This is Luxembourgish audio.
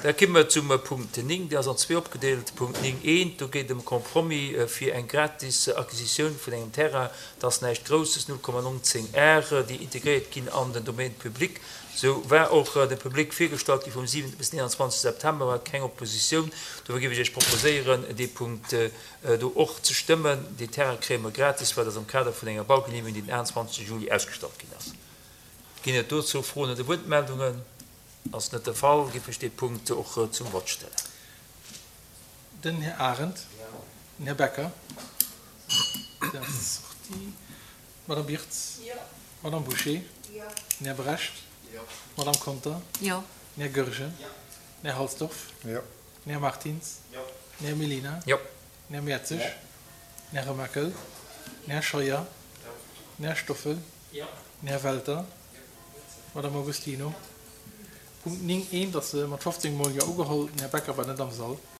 Da komme mer zum Punkt 9, dee ass an zwee opgedeelt. Punkt 9 eent, do geet et ëm e Compromis fir eng gratis Acquisitioun vun engem Terrain. Dat ass näischt Grousses, 0,19 Ar, déi integréiert ginn an den Domaine public. Sou war och dem Public virgestallt gi vum 7 bis 29 September, war keng Oppositioun. Dofir géif ech Iech proposéieren, dee Punkt do och ze stëmmen. Dee Terrain kréie mer gratis, well dat am Kader vun enger Baugenehmegung, déi den 28 Juli ausgestallt ginn ass. Ginn et dozou Froen oder Wuertmeldungen? Ass net de Fall, géif ech dee Punkt och zum Vott stellen. Den Här Arendt. Den Här Becker. Deen ass sorti. D'Madame Birtz. D'Madame Bouché. Den Här Brecht. D'Madame Conter. Den Här Goergen. Den Här Halsdorf. Den Här Martins. Den Här Mellina. Den Här Mertzig. Den Här Remakel. Den Här Scheuer. Den Här Stoffel. Den Här Welter. D'Madame Agostino. Punkt 9 eent ass mat 15 Mol Jo ugeholl. Den Här Becker war net am Sall.